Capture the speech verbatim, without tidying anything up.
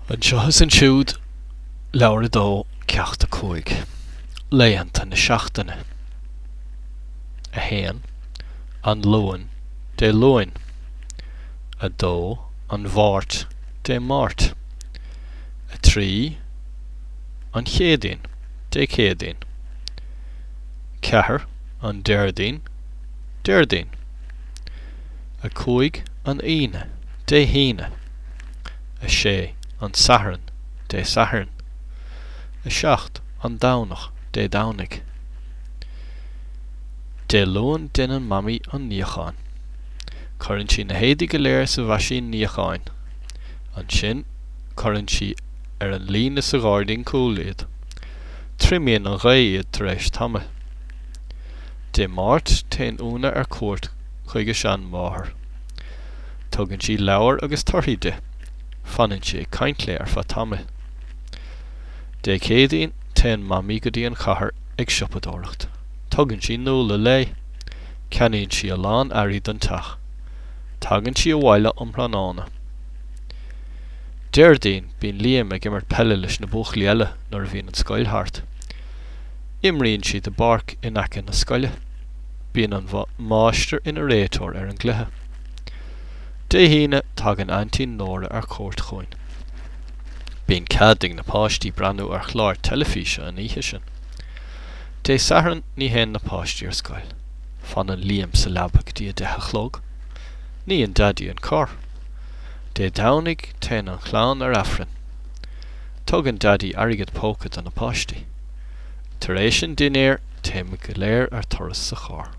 Anseo is ansiúd, Leabhar a dó, Ceacht a cúig. Laethanta na seachtaine. a haon, An Luan, Dé Luain. a dó, An Mháirt, Dé Máirt. a trí, An Chéadaoin, Dé Céadaoin. ceathair, An Déardaoin, Déardaoin. a cúig, An Aoine, Dé hAoine. a sé, An Satharn, Dé Sathairn. a seacht, An Domhnach, Dé Domhnaigh. Dé Luain déanann Mamaí an níochán. Cuireann sí na héadaí go léir sa mheaisín níocháin. Ansin cuireann sí ar an líne sa ghairdín cúil iad. Triomaíonn an ghaoth iad tar éis tamaill. Dé Máirt téann Úna ar cuairt chuig a seanmháthair. Tugann sí leabhair agus torthaí di. Fanann sí ag caint léi ar feadh tamaill. Dé Céadaoin téann Mamaí go dtí an chathair ag siopadóireacht. Tugann sí Nuala léi. Ceannaíonn sí a lán earraí don teach. Tagann sí abhaile um thráthnóna. Déardaoin bíonn Liam ag imirt peile leis na buachaillí eile nuair a bhíonn an scoil thart. Imríonn siad i bpáirc in aice na scoile. Bíonn an máistir ina réiteoir ar an gcluiche. Dé hAoine tagann Aintín Nóra ar cuairt chugainn. Bíonn cead ag na páistí breathnú ar chlár teilifíse an oíche sin. Dé Sathairn ní théann na páistí ar scoil. Fanann Liam sa leaba go dtí a deich a chlog. Níonn Daidí an carr. Dé Domhnaigh téann an chlann ar Aifreann. Tugann Daidí airgead póca do na páistí. Tar éis an dinnéir téimid go léir ar turas sa charr.